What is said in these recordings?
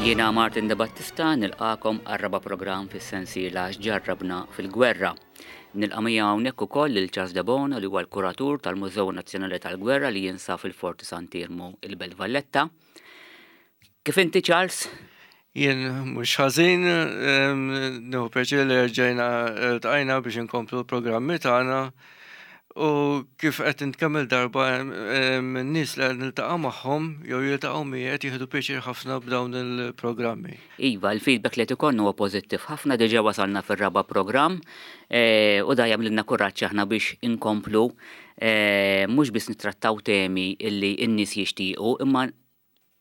Jiena Martin De Battista nilqakom għar-raba' programm fis-sensiela X'ġarrabna fil-Gwerra. Nilqa' miegħi hawnhekk ukoll lil Charles Debono li huwa l-kuratur tal-Mużew Nazzjonali tal-Gwerra li jinsab fil-Forti Sant'Iermu il-Belt Valletta. Kif inti Charles? Jien mhux ħażin, nieħu pjaċir li rġajna ltqajna biex inkomplu l-programmi tagħna u kif qed int kemm-il darba n-nies li qed niltaqa' magħhom jew jiltaqgħu miegħi qed jieħdu pjaċir ħafna b'dawn il-programmi. Iva, il-feedback li qed ikollna huwa pożittiv ħafna, diġà wasalna fir-raba' programm u da jagħmlilna kuraġġ aħna biex inkomplu mhux biss nittrattaw temi li n-nies jixtiequ imma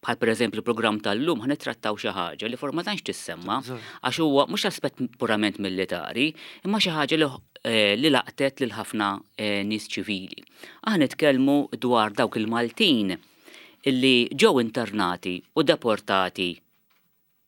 bħal pereżempju l-programm tal-lum ħa nittrattaw xi ħaġa li forma tantx tissemma għax huwa mhux aspett purament militari, imma xi ħaġa li eh, li laqtet lil ħafna eh, nies ċivili. Aħna nitkellmu dwar dawk il-Maltin illi ġew internati u deportati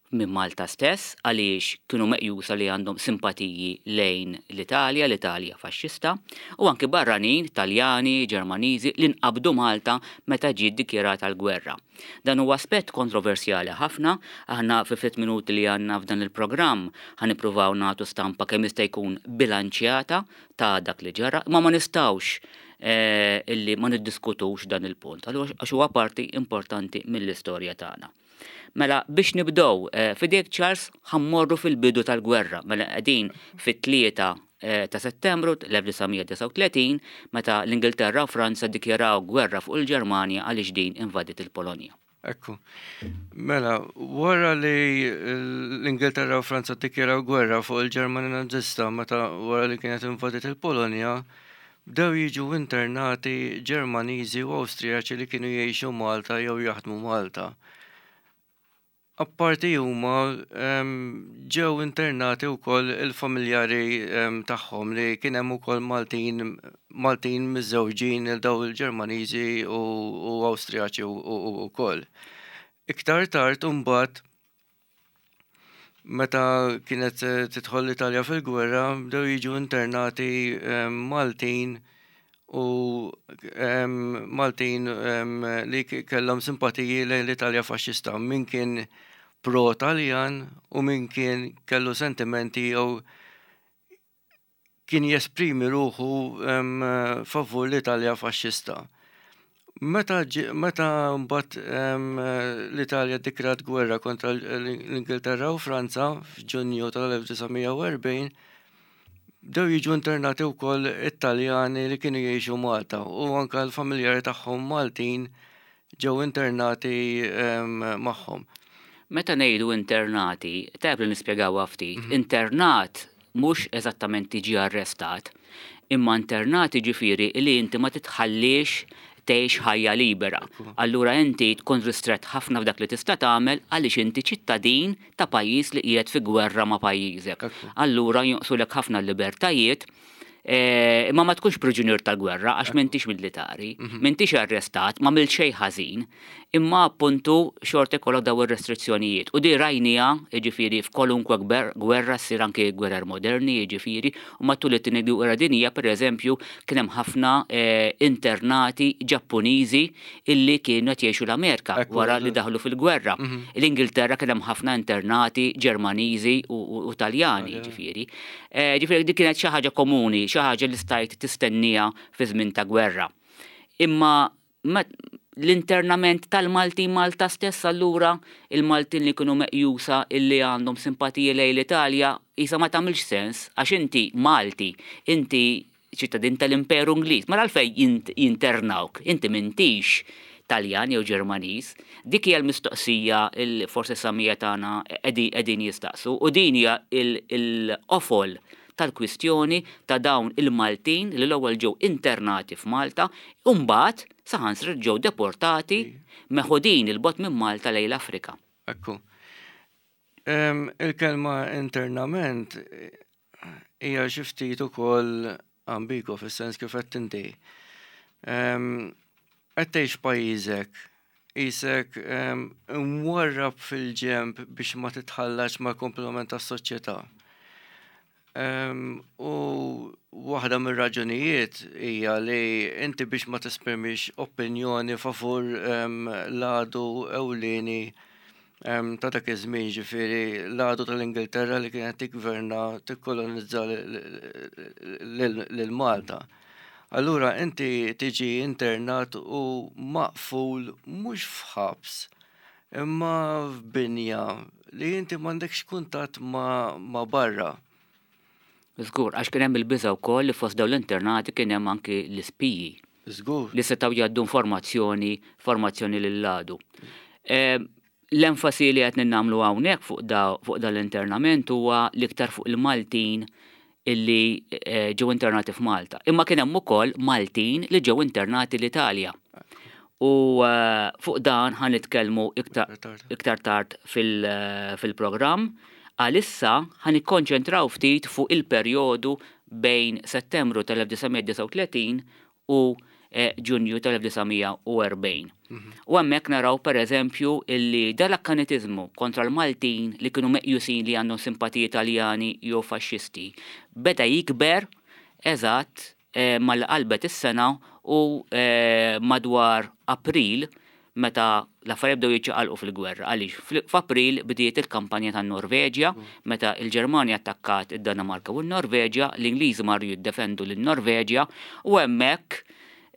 minn Malta stess għaliex kienu meqjusa li għandhom simpatiji lejn l-Italja, l-Italja faxxista, u anki barranin, Taljani, Ġermaniżi, li nqabdu Malta meta ġiet dikjarata l-gwerra. Dan huwa aspett kontroversjali ħafna, aħna fi ftit minuti li għandna f'dan il-programm ħa nippruvaw nagħtu stampa kemm jista' jkun bilanċjata ta' dak li ġara, imma ma nistgħux illi ma niddiskutux dan il-punt, għax huwa parti importanti mill-istorja tagħna. Mela biex nibdew, eh, fidejk Charles ħa mmorru fil-bidu tal-gwerra, mela qegħdin fit-3 eh, ta' Settembru 1939 meta l-Ingilterra u Franza ddikjaraw gwerra fuq il-Ġermanja għaliex din invadiet il-Polonja. Ekku. Mela, wara li l-Ingilterra u Franza ddikjaraw gwerra fuq il-Ġermanja Nazista meta wara li kienet invadiet il-Polonja, bdew jiġu internati Ġermaniżi u Awstrijaċi li kienu jgħixu Malta jew jaħdmu Malta. Apparti huma ġew internati wkoll il-familjari tagħhom li kien hemm ukoll Maltin Maltin miżżewġin il daw il-Ġermaniżi u Awstrijaċi wkoll. Iktar tard imbagħad Meta kienet tidħol l-Italja fil-gwerra, bdew jiġu internati Maltin u Maltin li kellhom simpatiji lejn l-Italja faxxista, min kien pro-Taljan u min kien kellu sentimenti jew kien jesprimi ruħu favur l-Italja faxxista. Meta meta mbagħad l-Italja ddikjarat gwerra kontra l-Ingilterra u Franza f'Ġunju tal-1940, bdew jiġu internati wkoll it-Taljani li kienu jgħixu Malta u anke l-familjari tagħhom Maltin ġew internati magħhom. Meta ngħidu internati, tajjeb li nispjegawha ftit. Internat mhux eżattament tiġi arrestat, imma internat jiġifieri li inti ma titħalliex tgħix ħajja libera. Allura inti tkun ristrett ħafna f'dak li tista' tagħmel għaliex inti ċittadin ta' pajjiż li qiegħed fi gwerra ma' pajjiżek. Allura jonqsulek ħafna l-libertajiet Imma ma tkunx priġunier tal-gwerra għax m'intix militari, m'intix arrestat, ma għamilt xejn ħażin, imma appuntu xorta jkollok daw ir-restrizzjonijiet. U di rajniha, jiġifieri f'kwalunkwe gwerra ssir anki gwerer moderni, jiġifieri, u matul it-Tieni Gwerra Dinjija pereżempju kien hemm ħafna internati Ġappuniżi illi kienu qed jgħixu l-Amerika wara li daħlu fil-gwerra. L-Ingilterra kien hemm ħafna internati Ġermaniżi u Taljani, jiġifieri. Ġifieri dik kienet xi ħaġa komuni, xi ħaġa li stajt tistenniha fi żmien ta' gwerra. Imma l-internament tal-Maltin Malta stess allura, il-Maltin li kienu meqjusa illi għandhom simpatiji lejn l-Italja, qisha ma tagħmilx sens għax inti Malti, inti ċittadin tal-Imperu Ingliż, mela għalfejn jinternawk? Inti m'intix Taljan jew Ġermaniż. Dik hija l-mistoqsija li forsi s-samija tagħna qegħdin jistaqsu u din hija l-qofol tal-kwistjoni ta' dawn il-Maltin li l-ewwel ġew internati f'Malta u mbagħad saħansitra ġew deportati meħudin 'il bogħod minn Malta lejn l-Afrika. Ekku. Il-kelma internament hija xi ftit ukoll ambigwa fis-sens kif qed inti. Qed tgħix pajjiżek, qisek imwarrab fil-ġenb biex ma titħallatx mal-kumplament tas-soċjetà. U waħda mir-raġunijiet hija li inti biex ma tesprimix opinjoni favur l-għadu ewlieni. ta' dak iż-żmien ġifieri l-għadu tal-Ingilterra li kienet tiggverna tikkolonizza lil Malta. Allura inti tiġi internat u maqful mhux f'ħabs imma f'binja li inti m'għandekx kuntatt ma' barra. Żgur, għax kien hemm il-biża' wkoll li fost dawn l-internati kien hemm anki l-ispiji. Żgur. Li setgħu jgħaddu informazzjoni, formazzjoni lill-għadu. L-enfasi li qed nagħmlu hawnhekk fuq da, fuq dan l-internament huwa l-iktar fuq il-Maltin illi ġew internati f'Malta. Imma kien hemm ukoll Maltin li ġew internati l-Italja. U fuq dan ħa nitkellmu iktar tard fil-programm. Għalissa ħa nikkonċentraw ftit fuq il-perjodu bejn Settembru tal-1939 u Ġunju tal-1940. U hemmhekk naraw pereżempju illi dal-akkanitiżmu kontra l-Maltin li kienu meqjusin li għandhom simpatiji Taljani jew faxxisti beda jikber eżatt malli qalbet is-sena u madwar April meta l-affarijiet bdew jiċċaqalqu fil-gwerra. Għaliex f'April bdiet il-kampanja tan-Norveġja meta l-Ġermanja attakkat id-Danimarka u n-Norveġja, l-Ingliżi marru jiddefendu lin-Norveġja u hemmhekk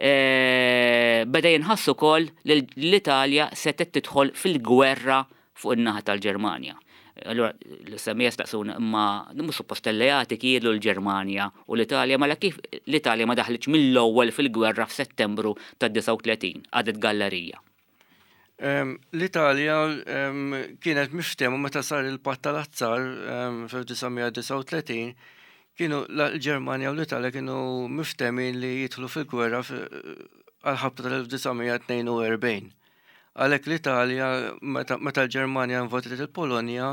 beda jinħass ukoll li l-Italja setgħet tidħol fil-gwerra fuq in-naħa tal-Ġermanja. Allura l-semmiegħa staqsuna imma mhux suppost alleati kienu l-Ġermanja u l-Italja mela kif l-Italja ma daħlitx mill-ewwel fil-gwerra f'Settembru tad-39 għadet gallerija. L-Italja kienet miftehma meta sar il-Patt tal-Azzar fl-1939 kienu l-Ġermanja u l-Italja kienu miftehmin li jidħlu fil-gwerra għal-ħabta tal-1942. Għalhekk l-Italja, meta l-Ġermanja invadiet il-Polonja,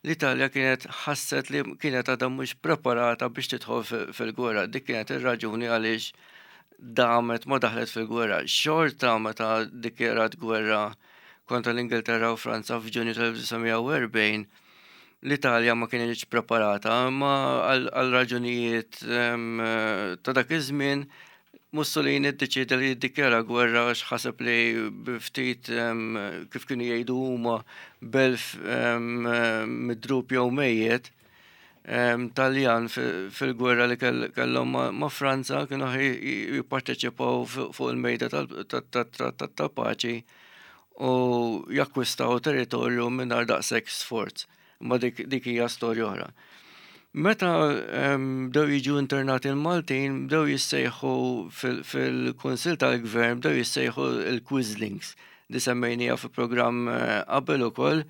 l-Italja kienet ħasset li kienet għadha mhux preparata biex tidħol fil-gwerra. Dik kienet ir-raġuni għaliex damet ma daħlet fil-gwerra. Xorta meta ddikjarat gwerra kontra l-Ingilterra u Franza f'Ġunju tal-1940, l-Italja ma kienx preparata, imma għal raġunijiet ta' dak iż-żmien Mussolini ddeċieda li jiddikjara gwerra għax ħaseb li ftit kif kienu jgħidu huma belf midrub jew mejjet Taljan fil-gwerra li kellhom ma' Franza kienu jipparteċipaw fuq il-mejda tat-trattat ta' paċi u jakkwistaw territorju mingħajr daqshekk sforz. Imma dik, dik hija storja oħra. Meta bdew jiġu internati l-Maltin, bdew jissejħu fil-Kunsill tal-Gvern, bdew jissejħu il-Quislings, li semmejnija fi programm eh, qabel ukoll.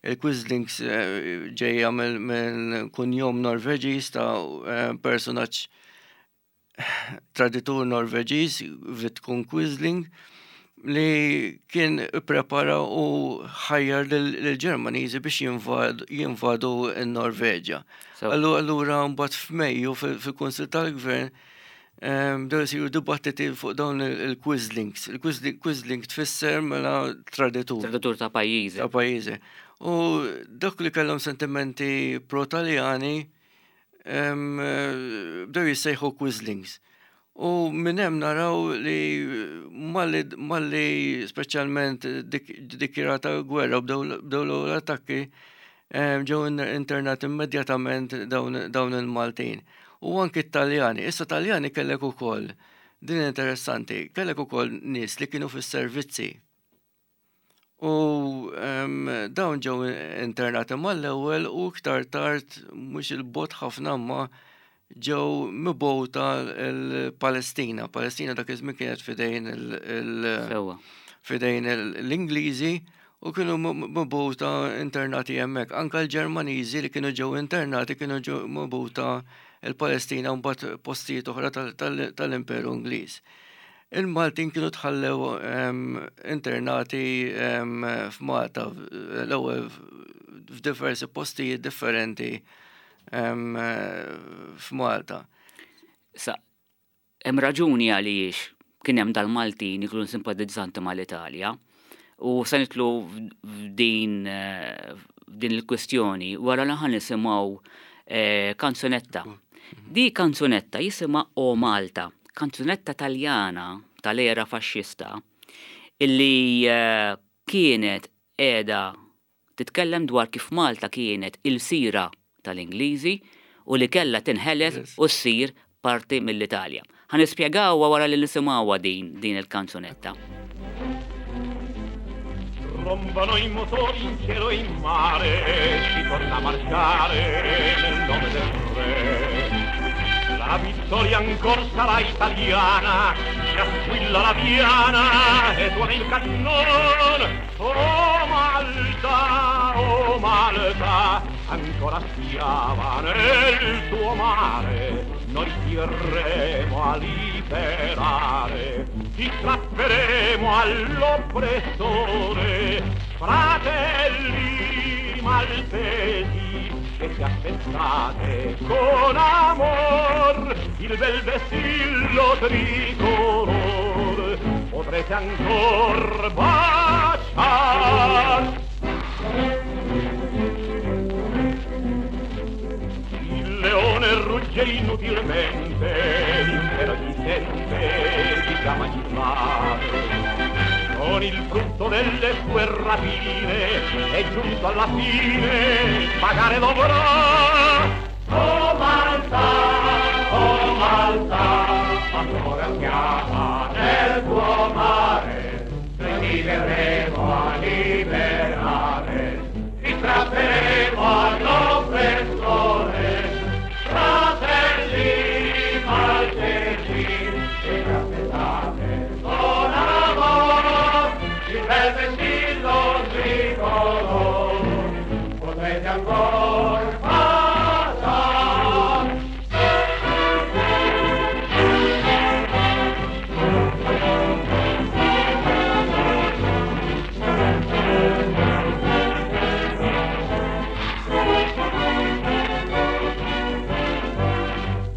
Il-Quislings eh, ġejja minn kunjom Norveġiż ta' eh, personaġġ traditur Norveġiż, Vidkun Quisling, li kien ipprepara u ħajjar lill-Ġermaniżi biex jinvadu n-Norveġja. Allura mbagħad f'Mejju fil-Kunsill tal-Gvern ehm, bdew isiru dibattiti fuq dawn il-Quislings. Il-Quisling tfisser mela traditur. Traditur ta' pajjiżi. Ta' pajjiżi. U dak li kellhom sentimenti pro-Taljani bdew jissejħu Quislings. U minn hemm naraw li malli speċjalment dikjarata gwerra u bdew l-attakki ġew internati immedjatament dawn il-Maltin. U anki t-Taljani. Issa Taljani kellek ukoll, din interessanti, kellek ukoll nies li kienu fis-servizzi. U dawn ġew internati mal-ewwel u iktar tard mhux il-bot ħafna ma ġew mibgħuta l-Palestina. Palestina dak iż-żmien kienet fidejn il- fidejn l-Ingliżi u kienu mibgħuta internati hemmhekk. Anka l-Ġermaniżi li kienu ġew internati kienu ġew mibgħuta l-Palestina u mbagħad postijiet oħra tal-Imperu Ingliż. Il-Maltin kienu tħallew internati f'Malta l-ewwel f'diversi postijiet differenti f'Malta. Sa, hemm raġuni għaliex kien hemm dal-Maltin li kienu simpatizzanti mal-Italja u se nitlu f'din f'din il-kwistjoni wara li ħa nisimgħu eh, kanzunetta. Di kanzunetta jisimha O Malta, kanzunetta Taljana tal-era faxxista illi eh, kienet qiegħda Titkellem dwar kif Malta kienet ilsira tal-Ingliżi u li kellha tinħeles u ssir parti mill-Italja. Ħa nispjegawha wara li nisimgħuha din din il-kanzunetta. Rombano i motori in cielo e in mare, si torna a marciare nel nome del re. La vittoria ancor sarà italiana, già squilla la diana e tuona il cannon. Oh Malta, oh Malta, ancora schiava nel tuo mare, noi ti verremo a liberare, ti strapperemo all'oppressore, fratelli maltesi, che ci aspettate con amor il bel vessillo tricolor, potrete ancor baciar. Il leone rugge inutilmente, l'impero gli sente di già magistrar. Con il frutto delle sue rapine è giunto alla fine, pagare dovrà. Oh Malta, oh Malta, ancora schiava nel tuo mare, noi ti verremo a liberare, ti strapperemo all'oppressore, fratelli maltesi, che ci aspettate con amor, il bel vessillo tricolor, potrete ancor baciar.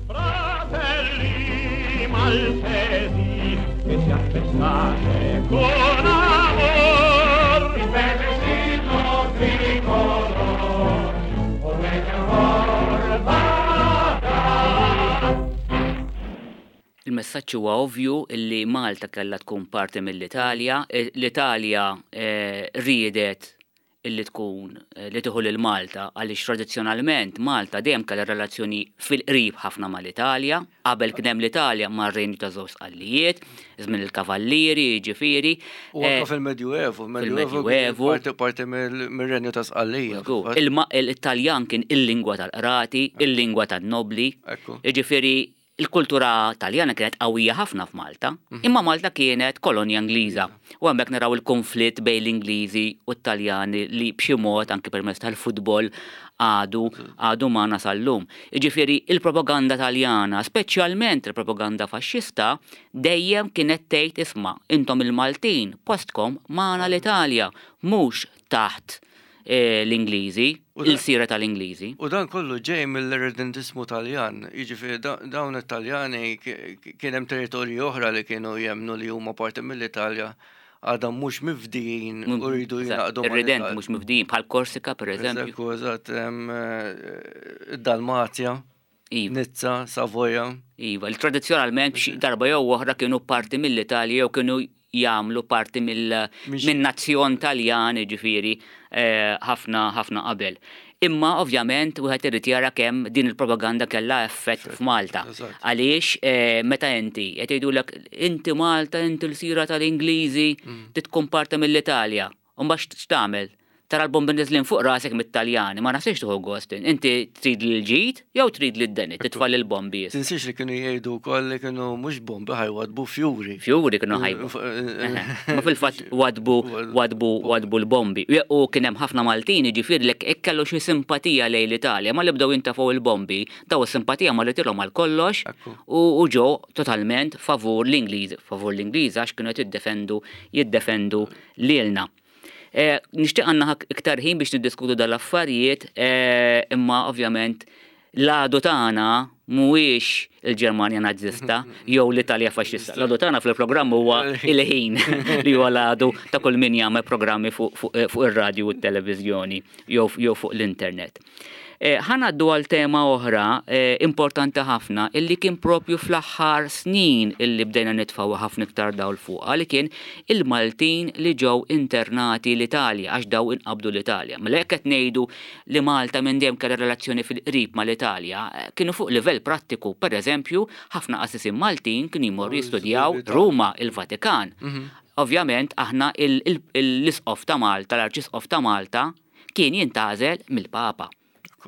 Fratelli maltesi, che ci aspettate con amor, il bel vessillo tricolor, potrete ancor baciar. Il-messaġġ huwa ovvju li Malta kellha tkun parti mill-Italja, l-Italja riedet illi tkun li tieħu lil Malta għaliex tradizzjonalment Malta dejjem kellha relazzjoni fil-qrib ħafna mal-Italja, qabel kien hemm l-Italja mar-Renju ta' Żewġ Sqallijiet, żmien il-Kavallieri, jiġifieri. U anke fil-Medjuevu, fil-Medjuevu parti mir-Renju ta' Sqallija. Il-Taljan kien il-lingwa tal-qrati, il-lingwa tan-nobbli. Jiġifieri Il-kultura Taljana kienet qawwija ħafna f'Malta, imma Malta kienet kolonja Ingliża. U hemmhekk naraw il-kunflitt bejn l-Ingliżi u t-Taljani li b'xi mod anki permezz tal-futbol għadu għadu magħna sal-lum. Jiġifieri il-propaganda Taljana, speċjalment il-propaganda faxxista, dejjem kienet tgħid isma' intom il-Maltin postkom magħna l-Italja, mhux taħt l-Ingliżi, il-sira tal-Ingliżi. U dan kollu ġej mill-irredentismu Taljan, jiġifieri dawn it-Taljani kien hemm territorji oħra li kienu jemmnu li huma parti mill-Italja għadhom mhux mifdijin u rridu jingħaqdu. Ir-redent mhux mifdijin bħal Korsika pereżempju. Ekku, eżatt, id-Dalmazja. Iva. Nizza, Savoja. Iva, li tradizzjonalment xi darba jew oħra kienu parti mill-Italja jew kienu jagħmlu parti mill-nazzjon Taljan, jiġifieri eh, ħafna ħafna qabel. Imma ovvjament wieħed irid jara kemm din il-propaganda kellha effett f'Malta. Għaliex eh, meta inti qed jgħidulek inti Malta, inti l-sira tal-Ingliżi, mm. titkun parti mill-Italja. U mbagħad x'tagħmel? Tara l-bombi niżlin fuq rasek mit-Taljani, ma naħsibx tieħu gost. Inti trid l-ġid jew trid lid-deni, titfa' lill-bombi. Tinsiex li kienu jgħidu wkoll li kienu mhux bombi ħajwadbu fjuri. Fjuri kienu ħajbu. Ma fil-fatt wadbu wadbu wadbu l-bombi. U kien hemm ħafna Maltin jiġifieri li hekk kellu xi simpatija lejn l-Italja, ma li bdew jintefgħu l-bombi, daw is-simpatija marritilhom għal kollox u ġew totalment favur l-Ingliżi, favur l-Ingliżi għax kienu qed jiddefendu jiddefendu lilna. Eh, nixtieq għandna iktar ħin biex niddiskutu dal-affarijiet, eh, imma ovvjament l-għadu tagħna mhuwiex il-Ġermanja Nazzista jew l-Italja Faxxista. L-għadu tagħna fil-programm huwa il-ħin li huwa l-għadu ta' kull min jagħmel programmi fuq ir-radju u t-televiżjoni jew fuq l-internet. Eh, ħa ngħaddu għal tema oħra eh, importanti ħafna illi kien propju fl-aħħar snin illi bdejna nitfgħu ħafna iktar dawl fuqha li kien il-Maltin li ġew internati l-Italja għax daw inqabdu l-Italja. Mela jekk qed ngħidu li Malta minn dejjem kellha relazzjoni fil-qrib mal-Italja, eh, kienu fuq livell prattiku, per eżempju, ħafna qassisin Maltin kienu jmorru jistudjaw Ruma, il-Vatikan. Ovvjament aħna l-isqof ta' Malta, l-Arċisqof ta' Malta, kien jintgħażel mill-Papa.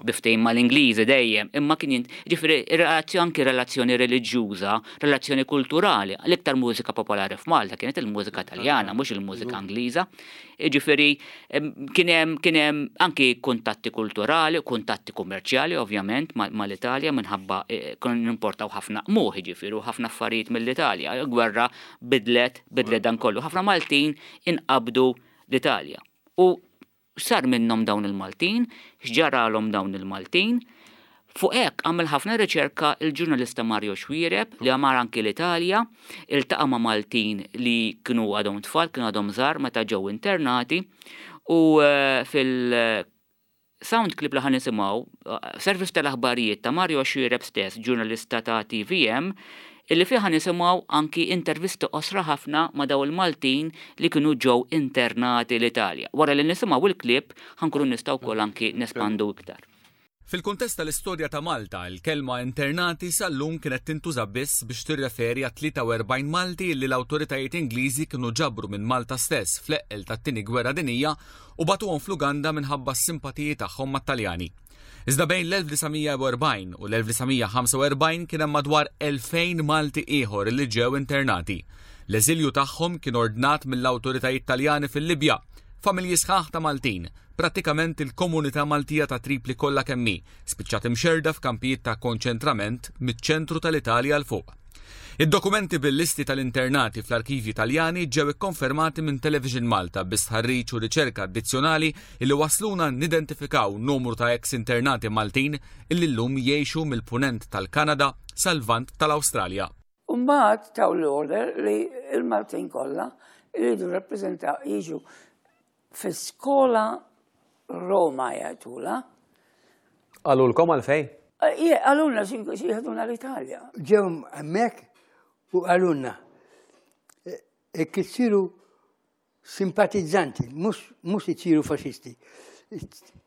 Bi ftehim mal-Ingliżi dejjem, imma kien jint, ġifieri relazzjoni anki relazzjoni reliġjuża, relazzjoni kulturali. L-iktar mużika popolari f'Malta kienet il-mużika Taljana, mhux il-mużika Ingliża. Ġifieri kien hemm kien hemm anki kuntatti kulturali, kuntatti kummerċjali ovvjament mal-Italja minħabba eh, konna nimportaw ħafna qmuħ ġifieri u ħafna affarijiet mill-Italja. Il-gwerra bidlet bidlet dan kollu. Ħafna Maltin inqabdu l-Italja. U x'sar minnhom dawn il-Maltin, x'ġaralhom dawn il-Maltin. Fuq hekk għamel ħafna riċerka il-ġurnalista Mario Xuereb li mar anki l-Italja, iltaqa' ma' Maltin li kienu għadhom tfal, kienu għadhom żgħar meta ġew internati u eh, fil sound clip li ħa nisimgħu, eh, servizz tal-aħbarijiet ta' Mario Xuereb stess, ġurnalista ta' TVM, illi fih ħa nisimgħu anki intervisti qosra ħafna ma' dawn il-Maltin li kienu ġew internati l-Italja. Wara li nisimgħu il-clip ħa nkunu nistgħu wkoll anki nespandu iktar. Fil-kuntest tal-istorja ta' Malta, il-kelma internati sal-lum kienet tintuża biss biex tirreferi għat-43 Malti li l-awtoritajiet Ingliżi kienu ġabru minn Malta stess fl-eqqel tat-Tieni Gwerra Dinjija u bagħtuhom fl-Uganda minħabba s-simpatiji tagħhom mat-Taljani. Iżda bejn l-1940 u l-1945 kien hemm madwar 2000 Malti ieħor li ġew internati. L-eżilju tagħhom kien ordnat mill-awtoritajiet Taljani fil-Libja. Familji sħaħ ta' Maltin, prattikament il-komunità Maltija ta' Tripli kollha kemm hi, spiċċat imxerrda f'kampijiet ta' konċentrament miċ-ċentru tal-Italja 'l fuq. Id-dokumenti bil-listi tal-internati fl-arkivji Taljani ġew ikkonfermati minn Television Malta bi stħarriġ u riċerka addizzjonali illi wasluna nidentifikaw numru ta' eks internati Maltin illi llum jgħixu mill-punent tal-Kanada sal-Lvant tal-Awstralja. U mbagħad taw l-order li l-Maltin kollha jridu rappreżentaw jiġu fi skola Roma jgħidula. Qalulkom għalfejn? Eh, qalulna xi jieħduna l-Italja. Ġew hemmhekk u qalulna jekk issiru simpatizzanti, mhux isiru faxisti.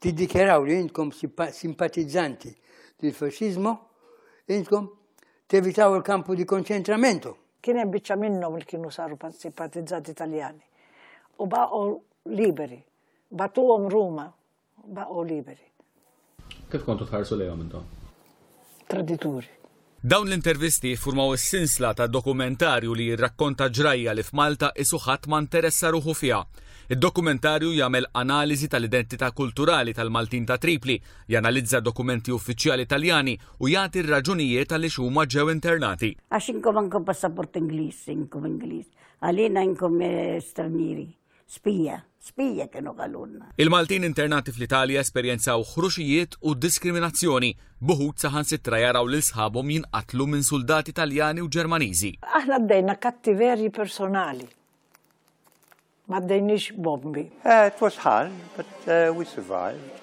Tiddikjaraw li intkom simpatizzanti lill-faxxiżmu, intkom tevitaw il-kampu di konċentramento. Kien hemm biċċa minnhom li kienu saru simpatizzanti Taljani u baqgħu liberi. Bagħtuhom Ruma, baqgħu liberi. Kif kontu tħarsu lejhom intom? Tradituri. Dawn l-intervisti jiffurmaw is-sinsla ta' dokumentarju li jirrakkonta ġrajja li f'Malta qisu ħadd ma nteressa ruħu fiha. Id-dokumentarju jagħmel analiżi tal-identità kulturali tal-Maltin ta' Tripli, janalizza dokumenti uffiċjali Taljani u jagħti r-raġunijiet għaliex huma ġew internati. Għax inkom għandkom passaport Ingliż, inkom Ingliż. Għalina inkom eh, stranieri. Spija, spija kienu qalulna. Il-Maltin internati fl-Italja esperjenzaw ħruxijiet u diskriminazzjoni, b'uħud saħansitra jaraw lil sħabhom jinqatlu minn suldati Taljani u Ġermaniżi. Aħna bdejna kattiverji personali. Ma bdejniex bombi. Uh, it was hard, but uh, we survived.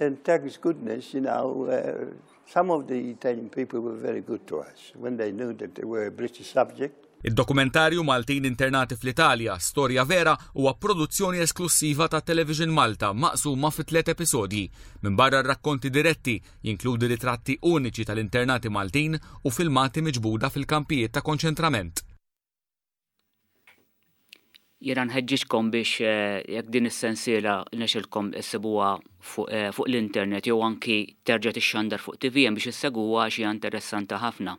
And thanks goodness, you know, uh, some of the Italian people were very good to us when they knew that they were a British subject. Id-dokumentarju Maltin Internati fl-Italja, Storja Vera huwa produzzjoni esklussiva ta' Television Malta maqsuma fi tliet episodji. Minbarra r-rakkonti diretti, jinkludi ritratti uniċi tal-internati Maltin u filmati miġbuda fil-kampijiet ta' konċentrament. Jiena nħeġġiġkom biex eh, jekk din is-sensiela nexilkom issibuha fuq eh, fuq l-internet jew anki terġa' tixxandar fuq TVM biex issegwuha għax hija interessanti ħafna.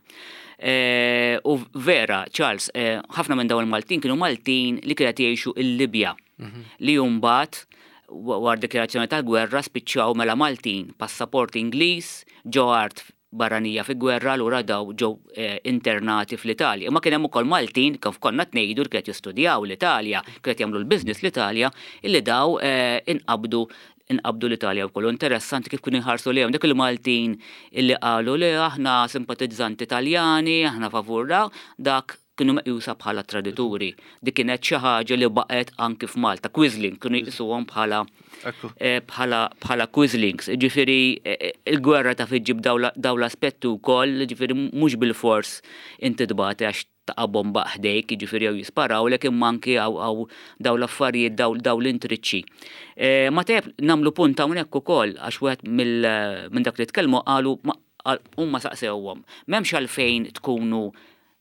Eh, u vera, Charles, ħafna minn dawn il-Maltin kienu Maltin li kienet jgħixu il-Libja mhm. li mbagħad wara dikjarazzjoni tal-gwerra spiċċaw mela Maltin, passaport Ingliż, ġo art barranija fi gwerra allura daw ġew eh, internati fl-Italja. Imma kien hemm ukoll Maltin kif konna tnejdu li kienet jistudjaw l-Italja, kienet jagħmlu l-business l-Italja, illi daw eh, inqabdu inqabdu l-Italja wkoll. Interessanti kif kienu jħarsu lejhom dak il-Maltin illi qalu li aħna simpatizzanti Taljani, aħna favur dak kienu meqjusa bħala tradituri. Dik kienet xi ħaġa li baqgħet anki f'Malta. Quislings kienu jqisuhom bħala eh, bħala bħala Quislings. Ġifieri eh, eh, il-gwerra ta' fiġġib daw l-aspetti wkoll, ġifieri mhux bil-fors inti tbati għax taqa' bomba ħdejk, jiġifieri jew jisparawlek imma anki hawn dawn l-affarijiet dawn l-intriċċi. Eh, ma tajjeb nagħmlu punt hawnhekk ukoll għax wieħed minn dak li tkellmu qalu huma saqsewhom. M'hemmx għalfejn tkunu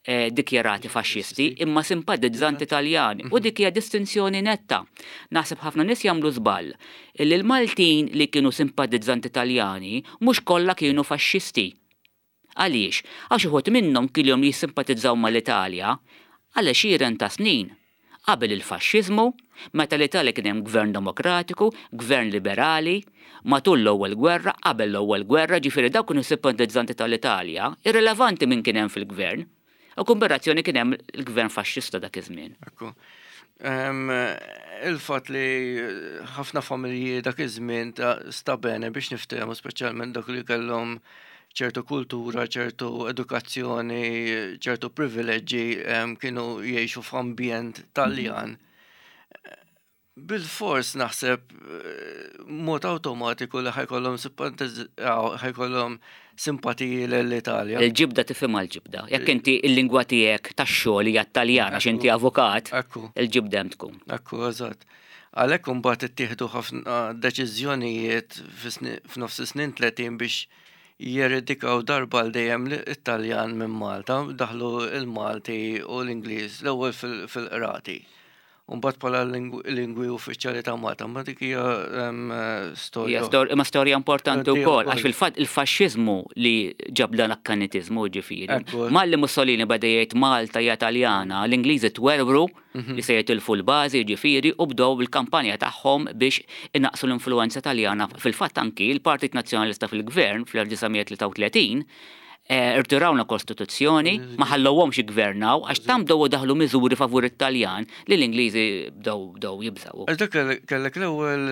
eh, dikjarati faxxisti imma simpatizzanti Taljani. U dik hija distinzjoni netta. Naħseb ħafna nies jagħmlu żball illi l-Maltin li kienu simpatizzanti Taljani mhux kollha kienu faxxisti. Għaliex? Għax uħud minnhom kilhom jissimpatizzaw mal-Italja għal għexieren ta' snin, qabel il-faxxiżmu, meta l-Italja kien hemm gvern demokratiku, gvern liberali, matul l-ewwel gwerra, qabel l-ewwel gwerra, ġifieri dawk kienu simpatizzanti tal-Italja, irrilevanti min kien hemm fil-gvern. U kumberazzjoni kien hemm il-gvern faxxista dak iż-żmien. Ekku. Il-fatt li ħafna familji dak iż-żmien ta' sta bene biex niftehmu speċjalment dak li kellhom ċertu kultura, ċertu edukazzjoni, ċertu privileġġi kienu jgħixu f'ambjent Taljan. Bilfors naħseb mod awtomatiku li ħajkollhom ħajkollhom simpatiji l-Italja. Il-ġibda tifhimha l-ġibda. Jekk inti il-lingwa tiegħek tax-xogħol hija t-Taljan għax inti avukat, il-ġibda hemm tkun. Ekku, eżatt. Għalhekk imbagħad ittieħdu ħafna deċiżjonijiet f'nofs is-snin 30 biex jeredikaw darba għal dejjem it-Taljan minn Malta, daħlu l-Malti u l-Ingliż l-ewwel fil-qrati. U mbagħad bħala lingwi uffiċjali ta' Malta, ma dik hija storja. Imma storja importanti wkoll, għax fil-fatt il-faxxiżmu li ġab dan l-akkanitiżmu ġifieri. Malli Mussolini beda jgħid Malta hija Taljana, l-Ingliżi twerwru mhm. li se jitilfu l-bażi ġifieri u bdew il-kampanja tagħhom biex inaqqsu l-influenza Taljana. Fil-fatt anki l-Partit Nazzjonalista fil-Gvern fl-1933 Eh, irtirawna kostituzzjoni, ma ħallowhomx jiggvernaw għax tam bdew daħlu miżuri favur it-Taljan li l-Ingliżi bdew bdew jibżgħu. Għax dak kellek l-ewwel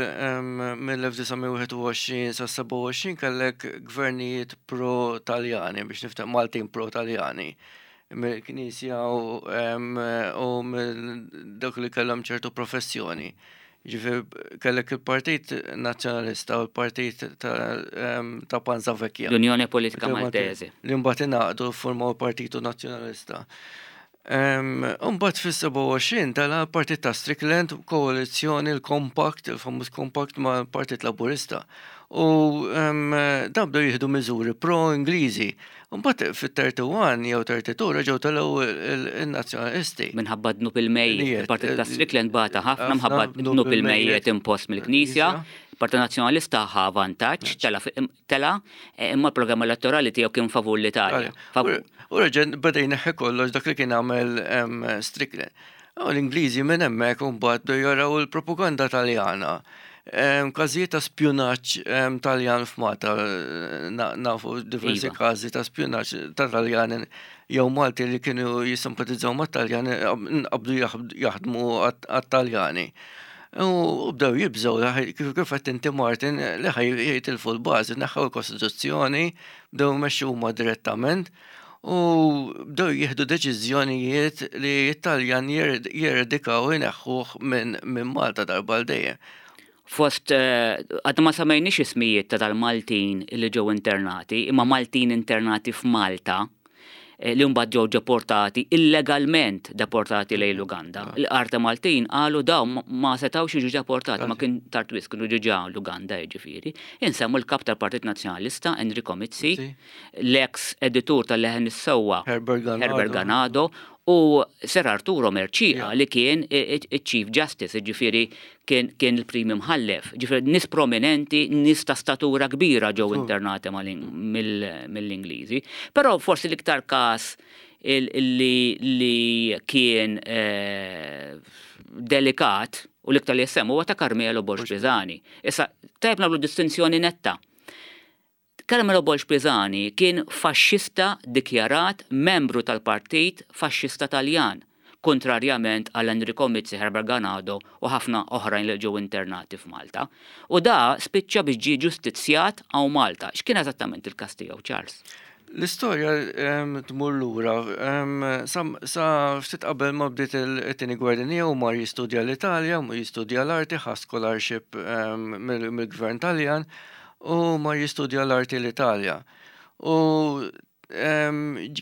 mill-1921 sa 27 kellek gvernijiet pro-Taljani biex niftaħ Maltin pro-Taljani mill-Knisja u mill dak li kellhom ċertu professjoni. Ġifieri kellek il-Partit Nazzjonalista u l-Partit ta' Panza Vecchia. L-Unjoni Politika Maltese. Li mbagħad ingħaqdu ffurmaw il-Partitu Nazzjonalista. Mbagħad fis-27 tela' l-Partit ta' Strickland, koalizzjoni, il-Compact, il-famuż Compact mal-Partit Laburista. U dawn bdew jieħdu miżuri pro-Ingliżi. Mbagħad fit-31 jew 32 reġgħu telgħu n-Nazzjonalisti. Minħabba dnub il-mejjet. Il-Partit ta' Strickland bata ħafna minħabba dnub il-mejjet impost mill-Knisja. Il-Partit Nazzjonalista ħa vantaġġ, tela' imma l-programm elettorali tiegħu kien favur l-Italja. U reġa' beda jneħħi kollox dak li kien għamel Strickland. U l-Ingliżi minn hemmhekk imbagħad bdew jaraw il-propaganda Taljana. Każijiet ta' spjunaġġ Taljan f'Malta, nafu diversi iva. każi ta' spjunaġġ ta' Taljani jew Malti li kienu jissimpatizzaw mat-Taljani nqabdu jaħdmu għat-Taljani. U bdew jibżgħu kif kif qed inti Martin li ħaj jitilfu l-bażi, neħħew il-Kostituzzjoni, bdew imexxu huma direttament u bdew jieħdu deċiżjonijiet li t-Taljan jeredikaw ineħħuh minn Malta darba għal dejjem. Fost, eh, għadna ma samejniex ismijiet ta' tal-Maltin li ġew internati, imma Maltin internati f'Malta eh, li mbagħad ġew deportati illegalment deportati lejn l-Uganda. Ah. Il-qarta Maltin qalu daw ma setgħux jiġu deportati, ma kien tard wisq kienu ġiġa l-Uganda jiġifieri. Insemmu l-kap tal-Partit Nazzjonalista Enrico Mizzi, l-eks editur tal-Leħen is-Sewwa Herbert Ganado u Sir Arturo Mercieca li kien iċ-Chief Justice, jiġifieri kien il-Prim Imħallef. Ġifieri nies prominenti, nies ta' statura kbira ġew internati mill-Ingliżi. Però forsi l-iktar każ li kien eh, delikat u l-iktar li jissemmu huwa ta' Carmelo Borg Pisani. Issa, tajjeb nagħmlu distinzjoni netta. Carmelo Borg Pisani kien faxxista dikjarat membru tal-Partit Faxxista Taljan. Kuntrarjament għal Enrico Mizzi, Herbert Ganado u ħafna oħrajn li ġew internati f'Malta. U da spiċċa biex ġie ġustizzjat hawn Malta. X'kien eżattament il-każ tiegħu, Charles? L-istorja tmur lura sa ftit qabel ma bdiet it-Tieni Gwerra Dinjija u mar jistudja l-Italja, jistudja l-arti, ħa scholarship mill-Gvern Taljan u mar jistudja l-arti l-Italja. U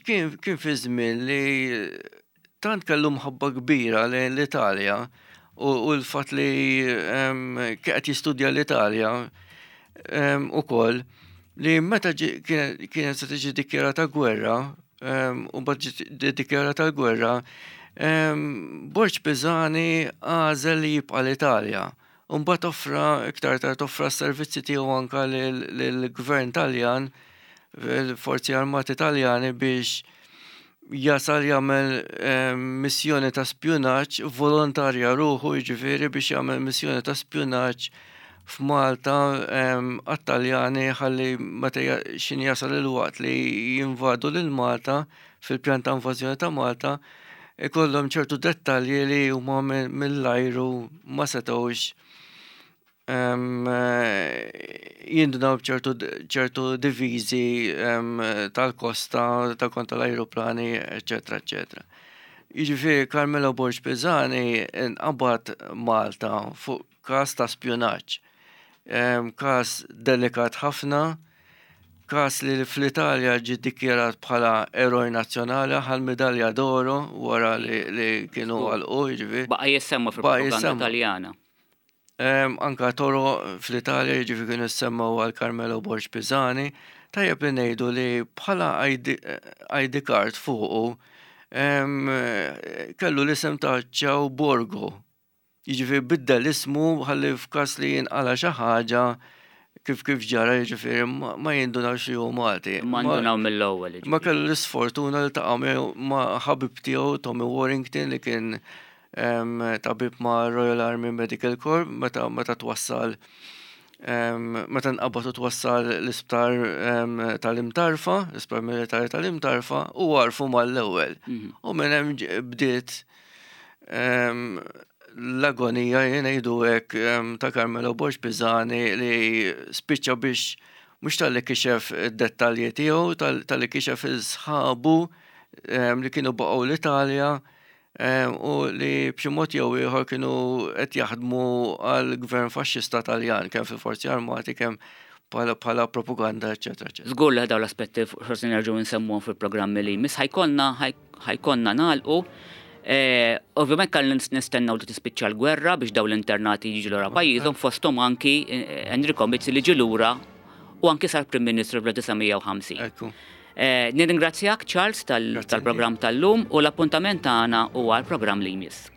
kien fi żmien li tant kellu mħabba kbira lejn l-Italja u l-fatt li qed jistudja l-Italja ukoll li meta kienet se tiġi dikjarata gwerra u mbagħad ġiet dikjarata l-gwerra, Borg Pisani għażel li jibqa' l-Italja. U mbagħad offra iktar tard offra s-servizzi tiegħu anka lill-gvern Taljan, il-Forzi Armati Taljani biex jasal jagħmel missjoni ta' spjunaġġ, volontarja ruħu jiġifieri biex jagħmel missjoni ta' spjunaġġ f'Malta għat-Taljani ħalli meta x'inhi jasal il-waqt li jinvadu lil Malta fil-pjan ta' invażjoni ta' Malta ikollhom ċertu dettalji li huma mill-ajru ma setgħux jindunaw b'ċertu ċertu diviżi tal-kosta ta' kontra l-ajruplani, eċetera, eċetera. Jiġifieri Carmelo Borg Pisani nqabad Malta fuq każ ta' spjunaġġ. Każ delikat ħafna, każ li fl-Italja ġie ddikjarat bħala eroj nazzjonali, ħa l-midalja d'oro wara li kienu għalqu, jiġifieri. Baqa' jissemma fil-propaganda Taljana. Anka toroq fl-Italja jiġifieri kienu jissemmew għal Carmelo Borg Pisani. Tajjeb li ngħidu li bħala ID card fuqu kellu l-isem ta' Ciao Borgo. Jiġifieri biddel ismu ħalli f'każ li jinqala' xi ħaġa kif kif ġara jiġifieri ma jindunawx li hu Malti. Ma ndunaw mill-ewwel. Ma kellu l-isfortuna li ltaqa' ma' ħabib tiegħu Tommy Warrington li kien tabib ma' Royal Army Medical Corps meta meta twassal meta nqabad u twassal l-isptar tal-Imtarfa, l-isptar militari tal-Imtarfa, u għarfu mal-ewwel. Mhm. U minn hemm bdiet l-agonija jien ngħidu hekk ta' Carmelo Borg Pisani li spiċċa biex mhux talli kixef id-dettalji tiegħu, talli kixef il-sħabu li kienu baqgħu l-Italja u li b'xi mod jew ieħor kienu qed jaħdmu għal gvern faxxista Taljan kemm fil-Forzi Armati kemm bħala propaganda, eċetera, eċetera. Żgur li dawn l-aspetti forsi nerġgħu nsemmuhom fil-programmi li jmiss ħajkonna ħajkonna nagħlqu. Eh, ovvjament kellna nistennew li tispiċċa l-gwerra biex dawn l-internati jiġu lura pajjiżhom fosthom anki eh, Enrico Mizzi li ġie lura u anki sar Prim Ministru fl-1950. Eh, nirringrazzjak Charles tal-programm tal-lum u l-appuntament tagħna huwa l-programm li jmiss.